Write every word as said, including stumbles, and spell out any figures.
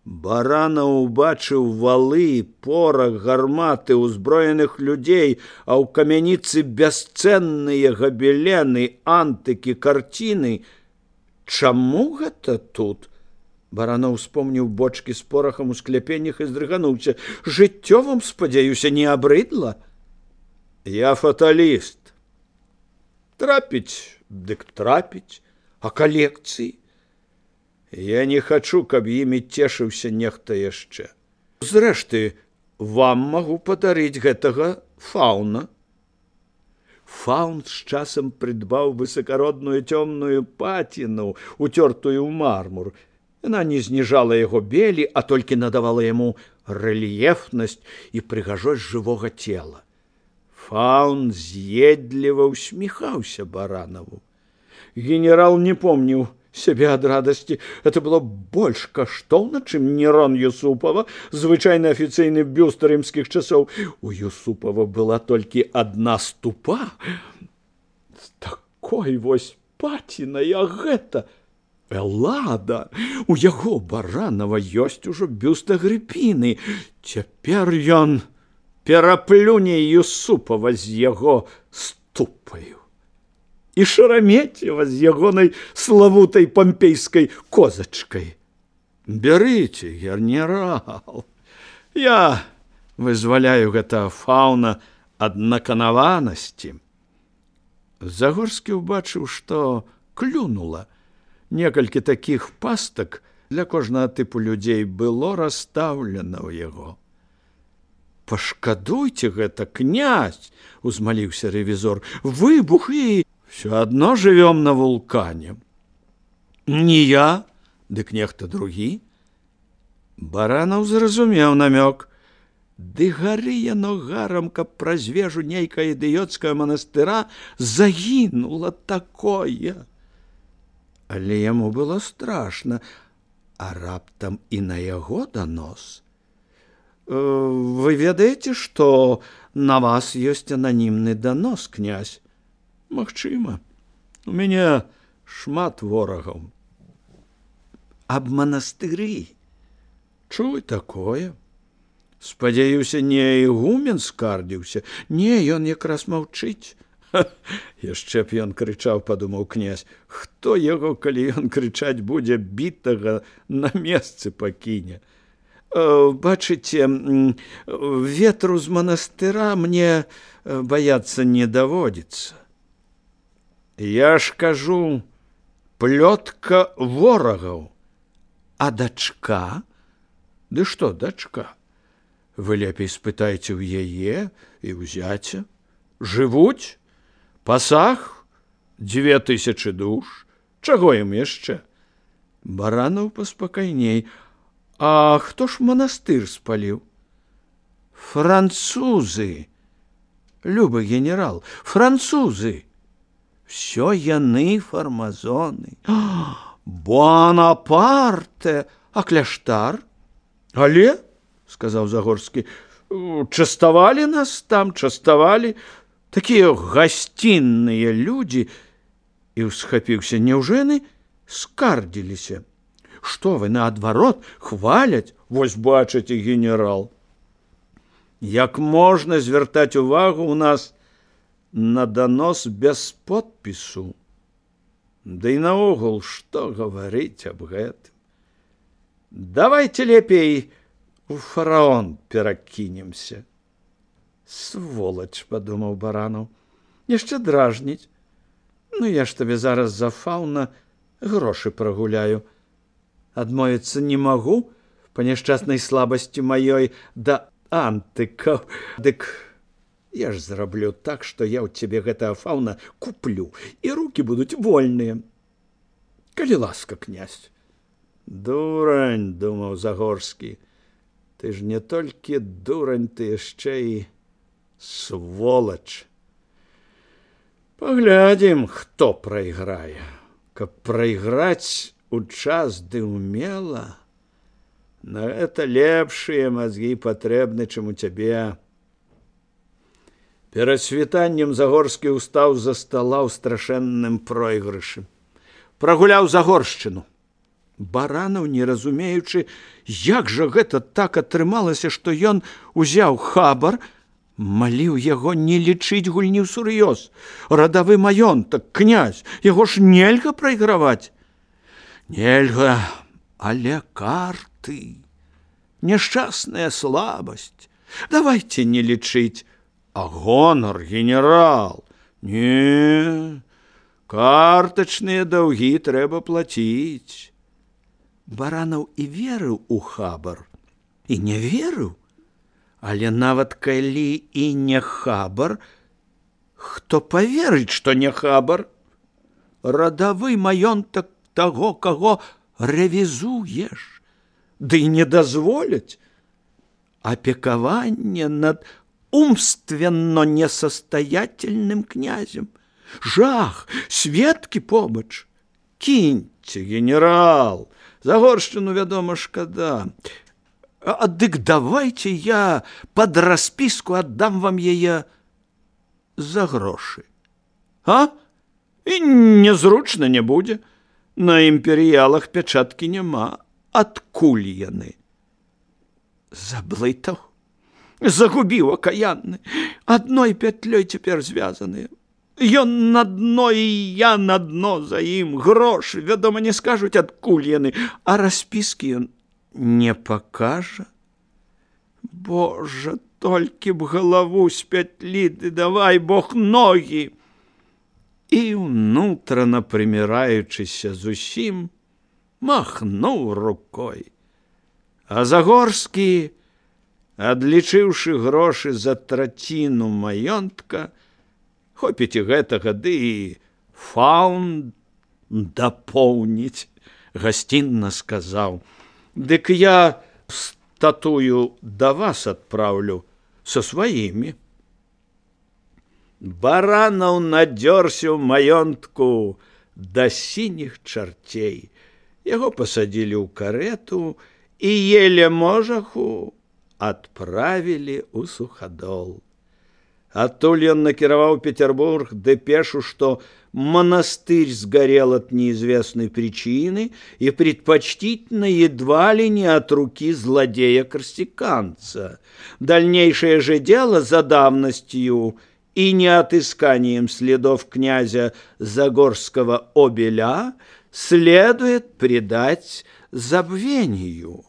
Баранаў убачыў валы, порах, гарматы, узброеных людзей, а ў камяніцы бясцэнныя габелены, антыкі, карціны. Чаму гэта тут? Баранаў успомніў бочкі з порахам у скляпеннях і здрыгануўся. Жыццё вам, спадзяюся, не абрыдла? Я фаталіст. Трапіць, дык трапіць, а калекцыі? Я не хачу, каб імі цешыўся нехта яшчэ. Зрэшты, вам магу падарыць гэтага фауна. Фаун з часам прыдбаў высакародную цёмную паціну, уцёртую ў мармур. Яна не зніжала яго белі, а толькі надавала яму рэльефнасць і прыгажосць жывога цела. Фаун з'едліва усміхаўся Баранаву. Генерал не помніў сябе ад радасці. Это было больш каштоўна, чым Нерон Юсупава, звычайны афіцыйны бюст рымскіх часоў. У Юсупава была толькі адна ступа. З такой вось пацінай, а гэта Эллада. У яго Баранава ёсць ужо бюст Агрыпіны. Цяпер ён пераплюне Юсупава з яго ступаю. І Шараметьева з ягонай славутай пампейскай козачкай. Бярыце, генерал. Я вызваляю гэтага фауна ад наканаванасці. Загорскі ўбачыў, што клюнула. Некалькі такіх пастак для кожнага тыпу людзей было расстаўлена ў яго. Пашкадуйце гэта, князь, узмаліўся рэвізор. Выбух і... Всё адно жывём на вулкане. Не я, дык нехта другі. Баранаў зразумеў намёк. Ды гары яно гарам, каб праз вежу нейкая ідыёцкая манастыра загінула такое. Але яму было страшна, а раптам і на яго данос. Вы ведаеце, што на вас ёсць ананімны данос, князь? Магчыма, у мяне шмат ворагаў. Аб манастыры? Чуй такое. Спадзяюся, не ігумен скардзіўся. Не, ён якраз маўчыць. Яшчэ б ён крычаў, падумаў князь. Хто яго, калі ён крычаць будзе, бітага на месцы пакіне? Бачыце, ветру з манастыра мне баяцца не даводзіцца. Я ж кажу, плётка ворагаў. А дачка? Ды што дачка? Вы лепей спытайце ў яе і ў зяця. Жывуць? Пасаг? Дзве тысячы душ? Чаго ім яшчэ? Баранаў паспакайней. А хто ж манастыр спаліў? Французы. Любы генерал, французы. Всё яны фармазоны. Бонапарте, а кляштар? Але, сказаў Загорскі, частавалі нас там, частавалі. Такія гасцінныя людзі. І ўсхапіўся, няўжо яны скардзіліся? Што вы, наадварот, хваляць? Вось бачыце, генерал. Як можна звяртаць увагу ў нас на данос без подпісу? Да і наогул, што гаварыць аб гэтым? Давайте лепей у фараон перакінемся. Сволач, падумаў Баранаў, яшчэ дражніць. Ну, я ж табе зараз за фауна грошы прагуляю. Адмовіцца не магу па няшчаснай слабасці маёй да антыкаў. Дык я ж зраблю так, што я ў цябе гэтага фауна куплю, і рукі будуць вольныя. Калі ласка, князь. Дурань, думаў Загорскі, ты ж не толькі дурань, ты яшчэ і сволач. Паглядзім, хто прайграе. Каб прайграць у час ды ўмела, на гэта лепшыя мазгі патрэбны, чым у цябе. Перад світаннем Загорскі ўстаў за стала ў страшэнным пройгрышы. Прагуляў Загоршчыну. Баранаў, не разумеючы, як жа гэта так атрымалася, што ён узяў хабар, маліў яго не лічыць гульні ўсур'ёз. Радавы маёнтак, князь, яго ж нельга прайграваць. Нельга, але карты, няшчасная слабасць. Давайте не лічыць. А гонар, генерал, не, картачныя даўгі трэба плаціць. Баранаў і верыў у хабар, і не верыў, але нават калі і не хабар, хто паверыць, што не хабар? Радавы маёнтак таго, каго рэвізуеш, ды не дазволяць. Опекование над умственно несостоятельным князем. Жах, сведкі побач. Кіньце, генерал, Загоршчыну, вядома, шкада. А дык давайте я под распіску аддам вам яе за грошы. А? І незручна не будзе. На імперіялах пячаткі няма. Адкуль яны? Заблытаў, загубіў акаянны. Адной пятлёй цяпер звязаныя. Ён на дно, і я на дно за ім. Грошы, вядома, не скажуць, адкуль яны, а распіскі ён не пакажа. Божа, толькі б галаву з пятлі, ды давай Бог ногі. І ўнутрана прыміраючыся зусім, махнуў рукой. А Загорскі, адлічыўшы грошы за траціну маёнтка, хопіць і гэтага, ды і фаунд дапоўніць, гасцінна сказаў: «Дык я статую да вас адпраўлю са сваімі». Баранаў надзёрся ў маёнтку да сініх чарцей. Яго пасадзілі ў карету і еле можаху адправілі ў Суходол. Адтуль ён накіраваў Петербург дэпешу, что монастырь сгорел от неизвестной причины и предпочтительно едва ли не от руки злодея-корсиканца. Дальнейшее же дело за давностью и неотысканием следов князя Загорского Обеля следует предать забвению.